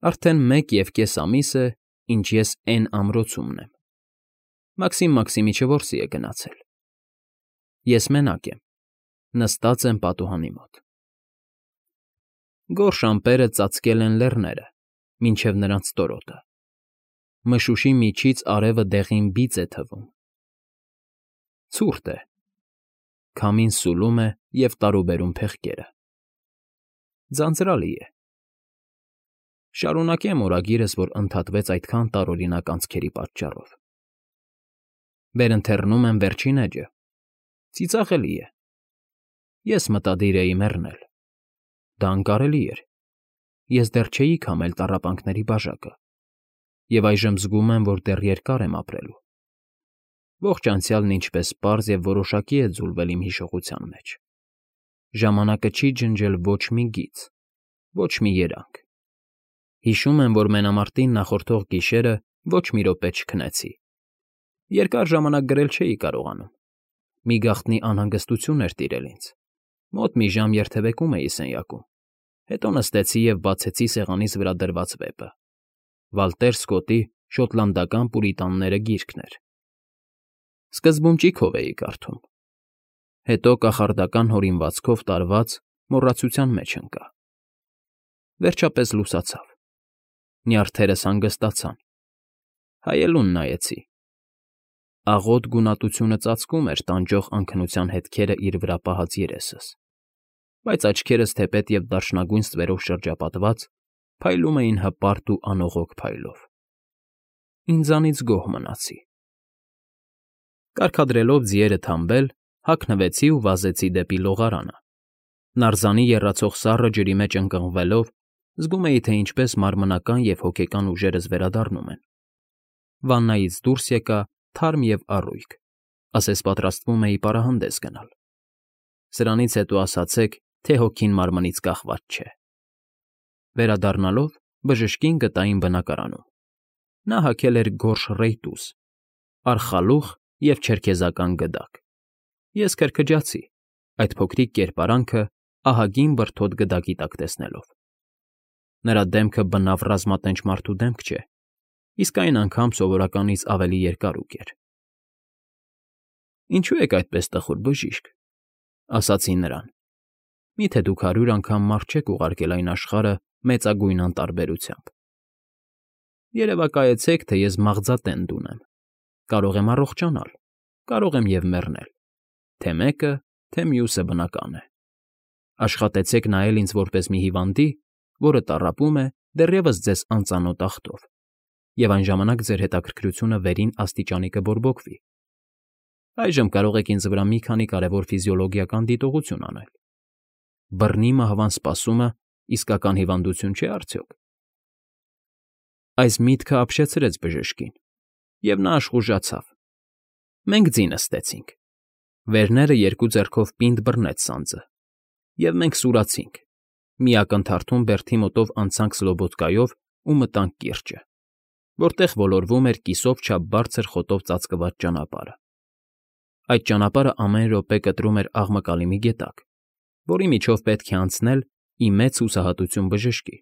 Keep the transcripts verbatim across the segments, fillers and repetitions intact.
Արդեն մեկ և կես ամիս է, ինչ ես էն ամրոցումն եմ, Մաքսիմ Մաքսիմիչը որսի է գնացել։ Ես մենակ եմ, նստած եմ պատուհանի մոտ։ Գորշ ամպերը ծածկել են լեռները, մինչև նրանց ստորոտը, մշուշի միջից արևը դեղին բիծ է թվում։ Ցուրտ է, քամին սուլում է և տարուբերում փեղկերը։ Ձանձրալի է։ Շարունակեմ օրագիրս, որ ընդհատվեց այդքան տարօրինակ անցքերի պատճառով։ Վերընթերնում եմ վերջին էջը։ Ծիծաղելի է։ Ես մտադիր էի մեռնել։ Դա անկարելի էր։ Ես դեռ չէի քամել տառապանքների բաժակը, և այժմ զգում եմ, որ դեռ երկար եմ ապրելու։ Ողջ անցյալն ինչպես պարզ և որոշակի է ձուլվել իմ հիշողության մեջ։ Ժամանակը չի ջնջել ոչ մի գիծ, ոչ մի երանգ։ Հիշում եմ, որ մենամարտին նախորդող գիշերը ոչ մի րոպե չքնեցի։ Երկար ժամանակ գրել չէի կարողանում։ Մի գաղտնի անհանգստություն էր տիրել ինձ։ Մոտ մի ժամ երթևեկում էի սենյակում, հետո նստեցի և բացեցի սեղանիս վրա դրված վեպը։ Վալտեր Սքոթի «Շոտլանդական պուրիտանները» գիրքն էր։ Սկզբում ճիգով էի կարդում։ Հետո կախարդական հորինվածքով տարված մոռացության մեջ ընկա։ Վերջապես լուսացավ։ Նյարդերս հանգստացան։ Հայելուն նայեցի։ Աղոտ գունատությունը ծածկում էր տանջող անքնության հետքերը իր վրա պահած երեսս, բայց աչքերս թեպետ և դարչնագույն ստվերով շրջապատված փայլում էին հպարտ ու անողոք փայլով։ Ինձանից գոհ մնացի։ Կարգադրելով ձիերը թամբել, հագնվեցի ու վազեցի դեպի լողարանը։ Նարզանի եռացող սառը ջրի մեջ ընկղմվելով, զգում էի, թե ինչպես մարմնական և հոգեկան ուժերս վերադառնում են։ Վաննայից դուրս եկա թարմ և առույգ, ասես պատրաստվում էի պարահանդես գնալ։ Սրանից հետո ասացեք, թե հոգին մարմնից կախված չէ։ Վերադառնալով բժշկին գտա իմ բնակարանում։ Նա հագել էր գորշ ռեյտուզ, արխալուղ և չերքեզական գդակ։ Ես քրքջացի, այդ փոքրիկ կերպարանքը ահագին բրդոտ գդակի տակ տեսնելով։ Նրա դեմքը բնավ ռազմատենչ մարդու դեմք չէ, իսկ այն անգամ սովորականից ավելի երկարուկ էր։ Ինչո՞ւ եք այդպես տխուր, բժիշկ, ասացի նրան։ Մի՞թե դուք հարյուր անգամ մարդ չեք ուղարկել այն աշխարհը մեծագույն անտարբերությամբ։ Երևակայեցեք, թե ես մաղձատենդ ունեմ, կարող եմ առողջանալ, կարող եմ և մեռնել, թե մեկը, թե մյուսը բնական է։ Աշխատեցեք նայել ինձ որպես մի հիվանդի, որը տառապում է դեռևս ձեզ անծանոթ ախտով, և այն ժամանակ ձեր հետաքրքրությունը վերին աստիճանի կբորբոքվի։ Այժմ կարող եք ինձ վրա մի քանի կարևոր ֆիզիոլոգիական դիտողություն անել։ Բռնի մահվան սպասումը իսկական հիվանդություն չէ՞ արդյոք։ Այս միտքը ապշեցրեց բժշկին, և նա աշխուժացավ։ Մենք ձի նստեցինք։ Վերները երկու ձեռքով պինդ բռնեց սանձը, և մենք սուրացինք, մի ակնթարթում բերդի մոտով անցանք Սլոբոդկայով ու մտանք կիրճը, որտեղ ոլորվում էր կիսով չափ բարձր խոտով ծածկված ճանապարհը։ Այդ ճանապարհը ամեն րոպե կտրում էր աղմկալի մի գետակ, որի միջով պետք է անցնել ի մեծ հուսահատություն բժշկի,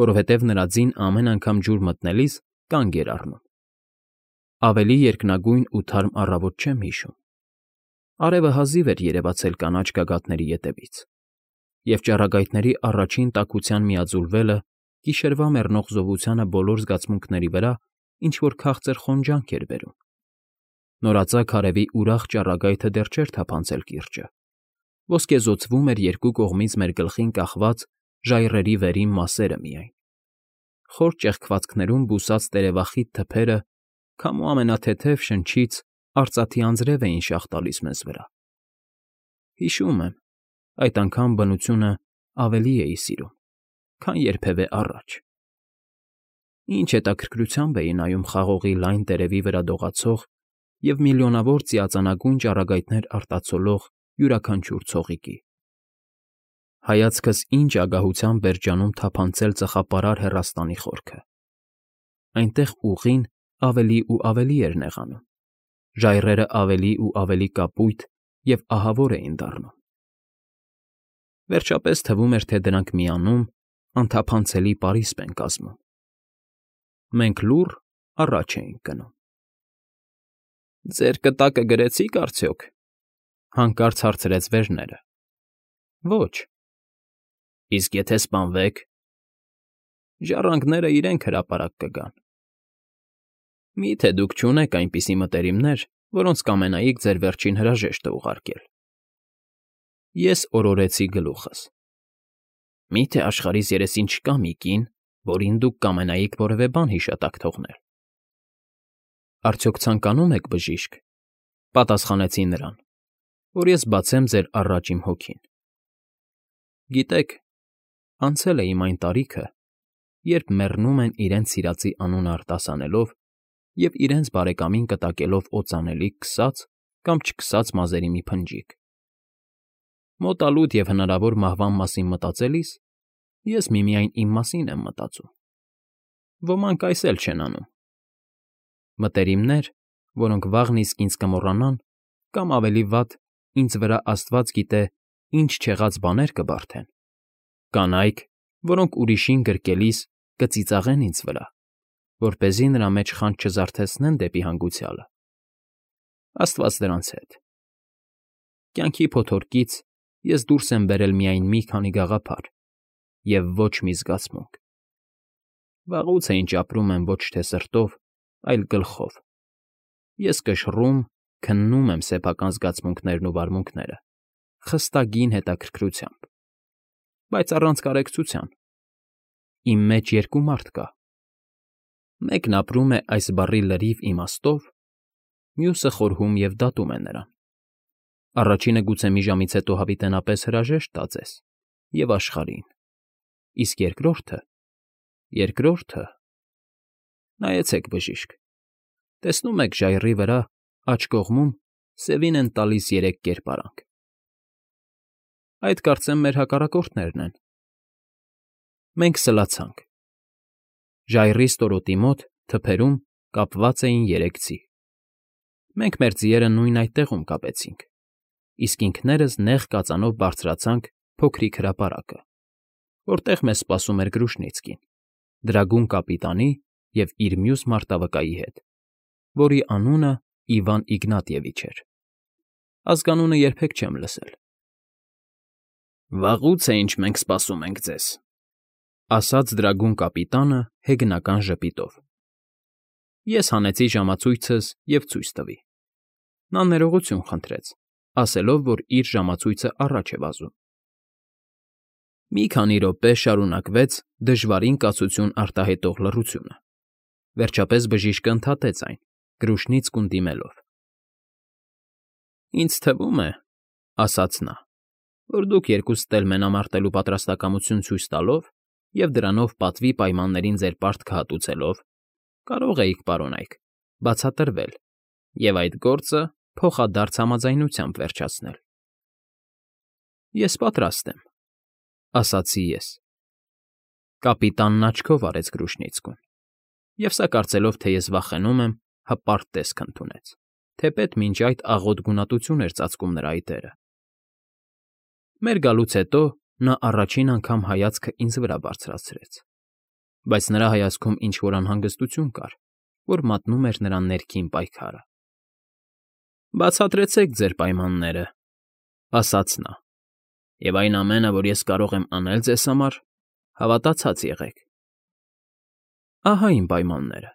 որովհետև նրա ձին ամեն անգամ ջուր մտնելիս կանգ էր առնում։ Ավելի երկնագույն ու թարմ առավոտ չեմ հիշում։ Արևը հազիվ էր երևացել կանաչ գագաթների ետևից, և ճառագայթների առաջին տաքության միաձուլվելը գիշերվա մեռնող զովությանը բոլոր զգացմունքների վրա ինչ֊որ քաղցր խոնջանք էր բերում։ Նորածագ արևի ուրախ ճառագայթը դեռ չէր թափանցել կիրճը, ոսկեզօծվում էր երկու կողմից մեր գլխին կախված ժայռերի վերին մասերը միայն։ Խոր ճեղքվածքներում բուսած տերևախիտ թփերը քամու ամենաթեթև շնչից արծաթի անձրև էին շաղ տալիս մեզ վրա։ Հիշում եմ, այդ անգամ բնությունը ավելի էի սիրում, քան երբևէ առաջ։ Ինչ հետաքրքրությամբ էի նայում խաղողի լայն տերևի վրա դողացող և միլիոնավոր ծիածանագույն ճառագայթներ արտացոլող յուրաքանչյուր ցողիկի։ Հայացքս ինչ ագահությամբ էր ջանում թափանցել ծխապարար հեռաստանի խորքը։ Այնտեղ ուղին ավելի ու ավելի էր նեղանում, ժայռերը ավելի ու ավելի կապույտ և ահավոր էին դառնում։ Վերջապես թվում էր, թե դրանք միանում, անթափանցելի պարիսպ են կազմում։ Մենք լուռ առաջ էինք գնում։ ֊ Ձեր կտակը գրեցի՞ք արդյոք,֊ հանկարծ հարցրեց Վերները։ ֊ Ոչ։ ֊ Իսկ եթե սպանվեք։ ֊ Ժառանգները իրենք հրապարակ կգան։ ֊ Մի՞թե դուք չունեք այնպիսի մտերիմներ, որոնց կամենայիք ձեր վերջին հրաժեշտը ուղարկել։ Ես օրորեցի գլուխս։ Մի՞թե աշխարհիս երեսին չկա մի կին, որին դուք կամենայիք որևէ բան հիշատակ թողնել։ ֊ Արդյոք ցանկանում եք բժիշկ,֊ պատասխանեցի նրան,֊ որ ես բացեմ ձեր առաջ իմ հոգին։ Գիտեք, անցել է իմ այն տարիքը, երբ մեռնում են իրենց սիրածի անունը արտասանելով և իրենց բարեկամին կտակելով օծանելիք քսած կամ չքսած մազերի մի փնջիկ։ Մոտալուտ և հնարավոր մահվան մասին մտածելիս ես միմիայն իմ մասին եմ մտածում։ Ոմանք այս էլ չեն անում։ Մտերիմներ, որոնք վաղն իսկ ինձ կմոռանան կամ, ավելի վատ, ինձ վրա աստված գիտե ինչ չեղած բաներ կբարդեն, կանայք, որոնք ուրիշին գրկելիս կծիծաղեն ինձ վրա, որպեսզի նրա մեջ խանձ չզարթեցնեն դեպի հանգուցյալը։ Աստված դրանց հետ։ Կյանքի փոթորկից ես դուրս եմ բերել միայն մի քանի գաղափար և ոչ մի զգացմունք։ Վաղուց է ինչ ապրում եմ ոչ թե սրտով, այլ գլխով։ Ես կշռում, քննում եմ սեփական զգացմունքներն ու վարմունքները, խստագին հետաքրքրությամբ, բայց առանց կարեկցության։ Իմ մեջ երկու մարդ կա. մեկն ապրում է այս բառի լրիվ իմաստով, մյուսը խորհում և դատում է նրան։ Առաջինը գուցե մի ժամից հետո հավիտենապես հրաժեշտ տա ձեզ և աշխարհին, իսկ երկրորդը… երկրորդը… Նայեցեք, բժիշկ, տեսնո՞ւմ եք ժայռի վրա, աջ կողմում, սևին են տալիս երեք կերպարանք։ Այդ, կարծեմ, մեր հակառակորդներն են։ Մենք սլացանք։ Ժայռի ստորոտի մոտ, թփերում, կապված էին երեք ձի։ Մենք մեր ձիերը նույն այդ տեղում կապեցինք, իսկ ինքներս նեղ կածանով բարձրացանք փոքրիկ հրապարակը, որտեղ մեզ սպասում էր Կրուշնիցկին, դրագուն կապիտանի և իր մյուս մարտավկայի հետ, որի անունը Իվան Իգնատիևիչ էր։ Ազգանունը երբեք չեմ լսել։ Վաղուց է ինչ մենք սպասում ենք ձեզ,֊ ասաց դրագուն կապիտանը հեգնական ժպիտով։ Ես հանեցի ժամացույցս և ցույց տվի։ Նա ներողություն խնդրեց, ասելով, որ իր ժամացույցը առաջ է վազում։ Մի քանի րոպե շարունակվեց դժվարին կացություն արտահայտող լռությունը։ Վերջապես բժիշկը ընդհատեց այն, Կրուշնիցկուն դիմելով. Ինձ թվում է, ասաց նա, որ դուք երկուսդ էլ մենամարտելու պատրաստակամություն ցույց տալով և դրանով պատվի պայմաններին ձեր պարտքը հատուցելով կարող էիք, պարոնայք, բացատրվել և այդ գործը փոխադարձ համաձայնությամբ վերջացնել։ Ես պատրաստ եմ,֊ ասացի ես։ Կապիտանն աչքով արեց Կրուշնիցկուն, և սա կարծելով, թե ես վախենում եմ, հպարտ տեսք ընդունեց, թեպետ մինչ այդ աղոտ գունատություն էր ծածկում նրա այտերը։ Մեր գալուց հետո նա առաջին անգամ հայացքը ինձ վրա բարձրացրեց, բայց նրա հայացքում ինչ֊որ անհանգստություն կար, որ մատնում էր նրա ներքին պայքարը։ Բացատրեցեք ձեր պայմանները,֊ ասաց նա,֊ և այն ամենը, որ ես կարող եմ անել ձեզ համար, հավատացած եղեք։ Ահա իմ պայմանները.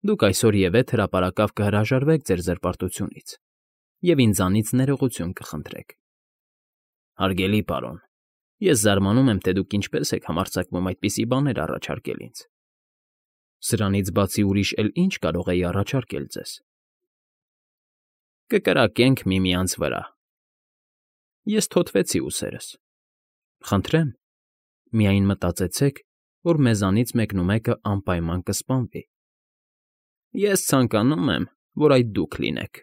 դուք այսօրևեթ հրապարակավ կհրաժարվեք ձեր զրպարտությունից և ինձանից ներողություն կխնդրեք։ Հարգելի պարոն, ես զարմանում եմ, թե դուք ինչպես եք համարձակվում այդպիսի բաներ առաջարկել ինձ։ Սրանից բացի ուրիշ էլ ի՞նչ կարող էի առաջարկել ձեզ։ Կկրակենք միմյանց վրա։ Ես թոթվեցի ուսերս։ Խնդրեմ, միայն մտածեցեք, որ մեզանից մեկնումեկը անպայման կսպանվի։ Ես ցանկանում եմ, որ այդ դուք լինեք։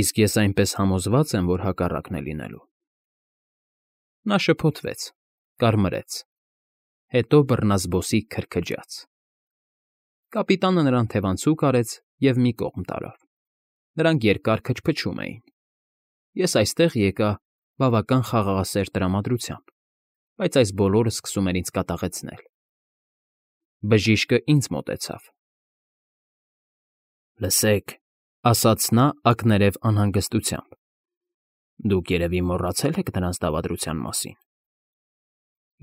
Իսկ ես այնպես համոզված եմ, որ հակառակն է լինելու։ Նա շփոթվեց, կարմրեց, հետո բռնազբոսիկ քրքջաց։ Կապիտանը նրան թևանցուկ արեց և մի կողմ տարավ։ Նրանք երկար քչփչում էին։ Ես այստեղ եկա բավական խաղաղասեր տրամադրությամբ, բայց այս բոլորը սկսում էր ինձ կատաղեցնել։ Բժիշկը ինձ մոտեցավ։ Լսեք, ասաց նա ակներև անհանգստությամբ։ Դուք երևի մոռացել եք նրանց դավադրության մասին։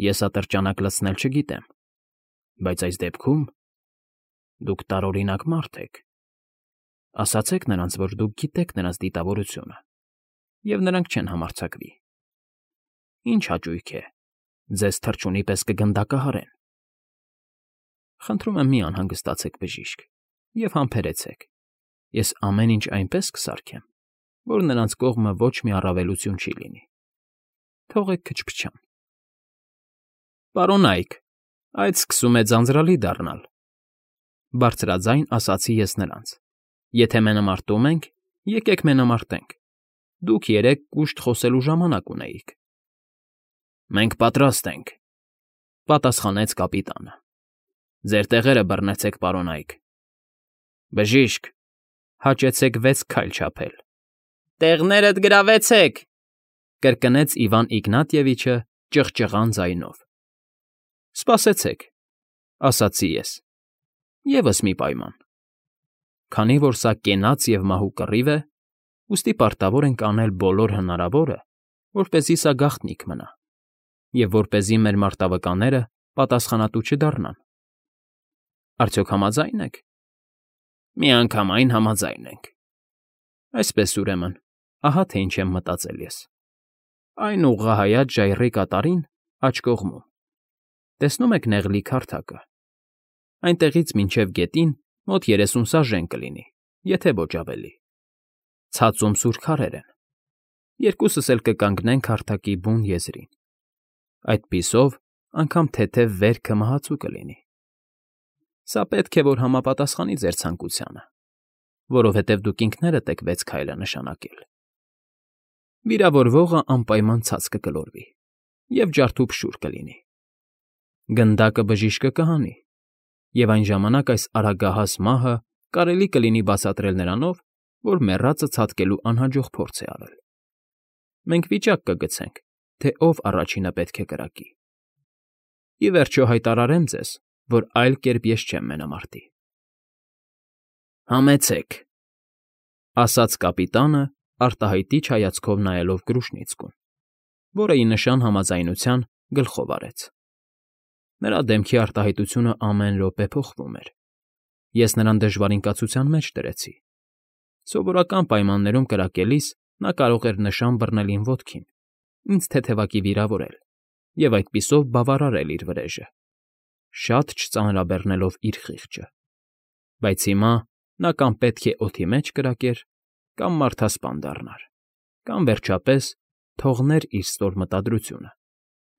Ես ատրճանակ լցնել չգիտեմ, բայց այս դեպքում դուք տարօրինակ մարդ եք։ Ասացեք նրանց, որ դուք գիտեք նրանց դիտավորությունը, և նրանք չեն համարձակվի։ Ինչ հաճույք է, ձեզ թռչունի պես կգնդակահարեն։ Խնդրում եմ մի անհանգստացեք, բժիշկ, և համբերեցեք։ Ես ամեն ինչ այնպես կսարքեմ, որ նրանց կողմը ոչ մի առավելություն չի լինի։ Թողեք քչփչան։ Պարոնայք, այդ սկսում է ձանձրալի դառնալ, բարձրաձայն ասացի ես նրանց։ Եթե մենամարտում ենք, եկեք մենամարտենք։ Դուք երեկ կուշտ խոսելու ժամանակ ունեիք։ Մենք պատրաստ ենք, պատասխանեց կապիտանը։ Ձեր տեղերը բռնեցեք, պարոնայք։ Բժիշկ, հաճեցեք վեց քայլ չափել։ Տեղներդ գրավեցեք, կրկնեց Իվան Իգնատիևիչը ճղճղան ձայնով։ Սպասեցեք, ասացի ես։ Եվս մի պայման։ Քանի որ սա կենաց և մահու կռիվ է, ուստի պարտավոր ենք անել բոլոր հնարավորը, որպեսզի սա գաղտնիք մնա, և որպեսզի մեր մարտավկանները պատասխանատու չդառնան։ Արդյոք համաձայն եք։ Միանգամայն համաձայն ենք։ Այսպես ուրեմն, ահա թե ինչ եմ մտածել ես։ Այն ուղղահայաց ժայռի կատարին աջ կողմում։ Տեսնում եք նեղլիկ հարթակը։ Այնտեղից մինչև գետին մոտ երեսուն սաժեն կլինի, եթե ոչ ավելի։ Ցածում սուր քարեր են։ Երկուսս էլ կկանգնենք հարթակի բուն եզրին։ Այդպիսով անգամ թեթև վերքը մահացու կլինի։ Սա պետք է որ համապատասխանի ձեր ցանկությանը, որովհետև դուք ինքներդ եք վեց քայլը նշանակել։ Վիրավորվողը անպայման ցած կգլորվի և ջարդուփշուր կլինի։ Գնդակը բժիշկը կհանի, և այն ժամանակ այս արագահաս մահը կարելի կլինի բացատրել նրանով, որ մեռածը ցատկելու անհաջող փորձ է արել։ Մենք վիճակ կգցենք, թե ով առաջինը պետք է կրակի։ Ի վերջո հայտարարեմ ձեզ, որ այլ կերպ ես չեմ մենամարտի։ Համեցեք, ասաց կապիտանը, արտահայտիչ հայացքով նայելով Կրուշնիցկուն, որը ի նշան համաձայնության գլխով արեց։ Նրա դեմքի արտահայտությունը ամեն րոպե փոխվում էր։ Ես նրան դժվարին կացության մեջ դրեցի։ Սովորական պայմաններում կրակելիս նա կարող էր նշան բռնել իմ ոտքին, ինձ թեթևակի վիրավորել և այդպիսով բավարարել իր վրեժը, շատ չծանրաբեռնելով իր խիղճը։ Բայց հիմա նա կամ պետք է օդի մեջ կրակեր, կամ մարդասպան դառնար, կամ, վերջապես, թողներ իր ստոր մտադրությունը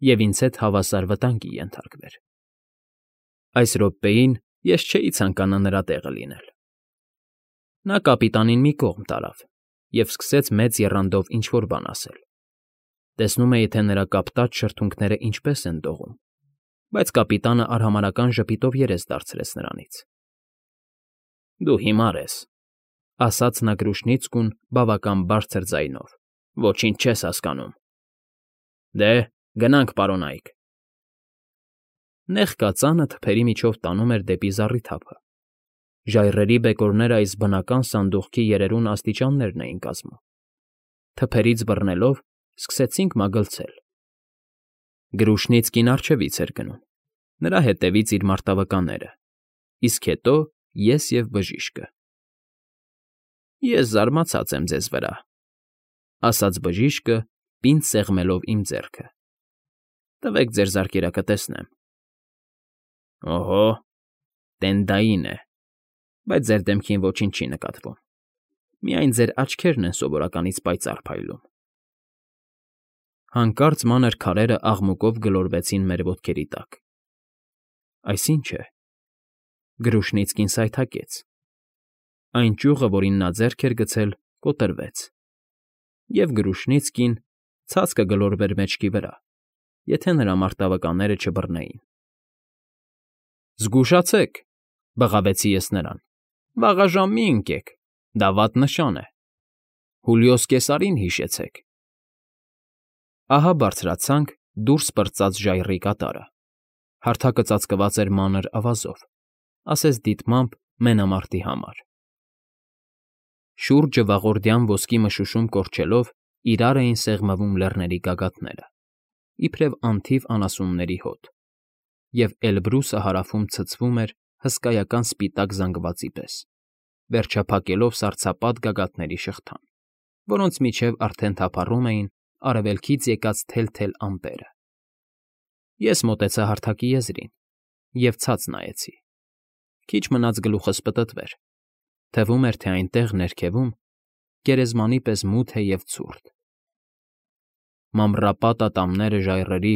և ինձ հետ հավասար վտանգի ենթարկվեր։ Այս րոպեին ես չէի ցանկանա նրա տեղը լինել։ Նա կապիտանին մի կողմ տարավ և սկսեց մեծ եռանդով ինչ֊որ բան ասել։ Տեսնում էի, թե նրա կապտած շրթունքները ինչպես են դողում, բայց կապիտանը արհամարհական ժպիտով երես դարձրեց նրանից։ Դու հիմար ես, ասաց նա Կրուշնիցկուն բավական բարձր ձայնով, ոչինչ չես հասկանում։ Դե, գնանք, պարոնայք։ Նեղ կածանը թփերի միջով տանում էր դեպի զառիթափը։ Ժայռերի բեկորները այս բնական սանդուղքի երերուն աստիճաններն էին կազմում։ Թփերից բռնելով սկսեցինք մագլցել։ Գրուշնիցկին առջևից էր գնում, նրա հետևից իր մարտավկանները, իսկ հետո ես և բժիշկը։ Ես զարմացած եմ ձեզ վրա, ասաց բժիշկը, պինդ սեղմելով իմ ձեռքը։ Տվեք ձեր զարկերակը տեսնեմ։ Օհո, տենդային է, բայց ձեր դեմքին ոչինչ չի նկատվում։ Միայն ձեր աչքերն են սովորականից պայծառ փայլում։ Հանկարծ մանր քարերը աղմուկով գլորվեցին մեր ոտքերի տակ։ Այս ի՞նչ է։ Գրուշնիցկին սայթաքեց։ Այն ճյուղը, որին նա ձեռք էր գցել, կոտրվեց, և Գրուշնիցկին ցած կգլորվեր մեջքի վրա, եթե նրա մարտավկանները չբռնեին։ Զգուշացե՛ք, բղավեցի ես նրան, վաղաժամ մի ընկեք, դա վատ նշան է։ Հուլիոս Կեսարին հիշեցեք։ Ահա բարձրացանք դուրս պրծած ժայռի կատարը։ Հարթակը ծածկված էր մանր ավազով, ասես դիտմամբ մենամարտի համար։ Շուրջը վաղորդյան ոսկի մշուշում կորչելով իրար էին սեղմվում լեռների գագաթները, իբրև անթիվ անասունների հոտ, և Էլբրուսը հարավում ցցվում էր հսկայական սպիտակ զանգվածի պես, վերջափակելով սառցապատ գագաթների շղթան, որոնց միջև արդեն թափառում էին արևելքից եկած թել֊թել ամպերը։ Ես մոտեցա հարթակի եզրին և ցած նայեցի։ Քիչ մնաց գլուխս պտտվեր, թվում էր, թե այնտեղ, ներքևում, գերեզմանի պես մութ է և ցուրտ։ Մամռապատ ատամները ժայռերի,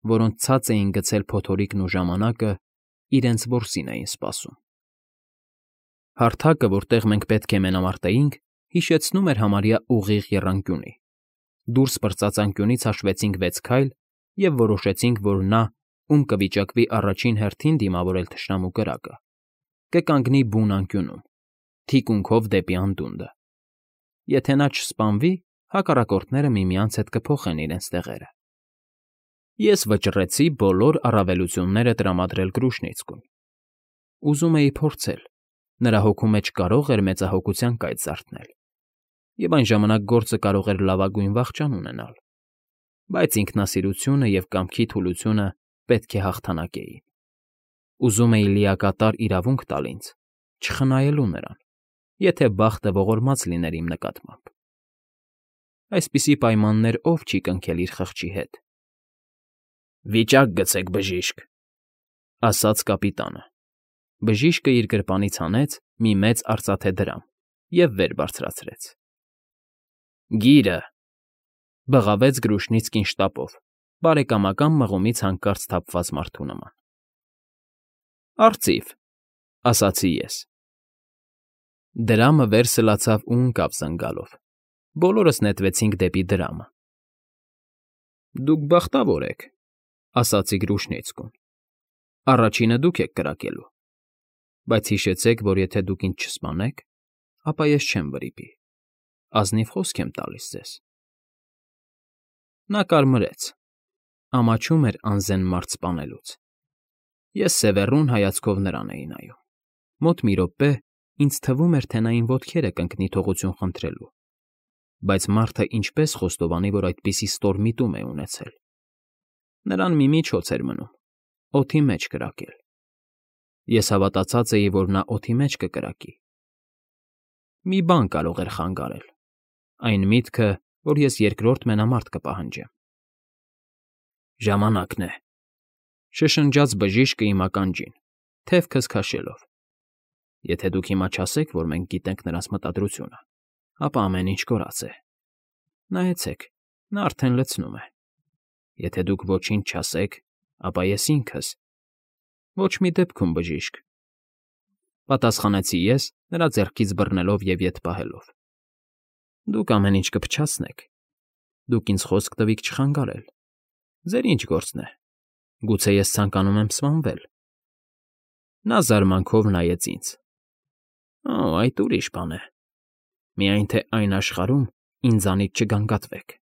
որոնց ցած էին գցել փոթորիկն ու ժամանակը, իրենց որսին էին սպասում։ Հարթակը, որտեղ մենք պետք է մենամարտեինք, հիշեցնում էր համարյա ուղիղ եռանկյունի։ Դուրս պրծած անկյունից հաշվեցինք վեց քայլ և որոշեցինք, որ նա, ում կվիճակվի առաջին հերթին դիմավորել թշնամու կրակը, կկանգնի բուն անկյունում, թիկունքով դեպի անդունդը։ Եթե նա չսպանվի, հակառակորդները միմյանց հետ կփոխեն իրենց տեղերը։ Ես վճռեցի բոլոր առավելությունները տրամադրել Կրուշնիցկուն։ Ուզում էի փորձել, նրա հոգու մեջ կարող էր մեծահոգության կայծ զարթնել, և այն ժամանակ գործը կարող էր լավագույն վախճան ունենալ, բայց ինքնասիրությունը և կամքի թուլությունը պետք է հաղթանակեին։ Ուզում էի լիակատար իրավունք տալ ինձ, չխնայելու նրան, եթե բախտը ողորմած լիներ իմ նկատմամբ։ Այսպիսի պայմաններ ով չի կնքել իր խղճի հետ։ ֊ Վիճակ գցեք, բժիշկ,֊ ասաց կապիտանը։ Բժիշկը իր գրպանից հանեց մի մեծ արծաթե դրամ և վեր բարձրացրեց։ ֊ Գիրը,֊ բղավեց Կրուշնիցկին շտապով, բարեկամական մղումից հանկարծ սթափված մարդու նման։ ֊ Արծիվ,֊ ասացի ես։ Դրամը վեր սլացավ ու ընկավ զնգալով։ Բոլորս նետվեցինք դեպի դրամը։ ֊ Դուք բախտավոր եք,֊ ասացի Կրուշնիցկուն։ Առաջինը դուք եք կրակելու, բայց հիշեցեք, որ եթե դուք ինձ չսպանեք, ապա ես չեմ վրիպի, ազնիվ խոսք եմ տալիս ձեզ։ Նա կարմրեց, ամաչում էր անզեն մարդ սպանելուց։ Ես սևեռուն հայացքով նրան էի նայում։ Մոտ մի րոպե ինձ թվում էր, թե նա իմ ոտքերը կընկնի թողություն խնդրելու, բայց մարդը ինչպես խոստովանի, որ այդպիսի ստոր միտում է ունեցել։ Նրան մի միջոց էր մնում՝ օդի մեջ կրակել։ Ես հավատացած էի, որ նա օդի մեջ կկրակի։ Մի բան կարող էր խանգարել՝ այն միտքը, որ ես երկրորդ մենամարտ կպահանջեմ։ ֊ Ժամանակն է,֊ շշնջաց բժիշկը իմ ականջին, թև քսքաշելով։ Եթե դուք հիմա չասեք, որ մենք գիտենք նրանց մտադրությունը, ապա ամեն ինչ կորած է։ Նայեցեք, նա արդեն լցնում է։ Եթե դուք ոչինչ չասեք, ապա ես ինքս… ֊ Ոչ մի դեպքում, բժիշկ,֊ պատասխանեցի ես, նրա ձեռքից բռնելով և ետ պահելով։ ֊ Դուք ամեն ինչ կփչացնեք։ Դուք ինձ խոսք տվիք չխանգարել։ Ձեր ի՞նչ գործն է։ Գուցե ես ցանկանում եմ սպանվել։ Նա զարմանքով նայեց ինձ։ ֊ Օ, այդ ուրիշ բան է։ Միայն թե այն աշխարհում ինձանից չգանգատվեք։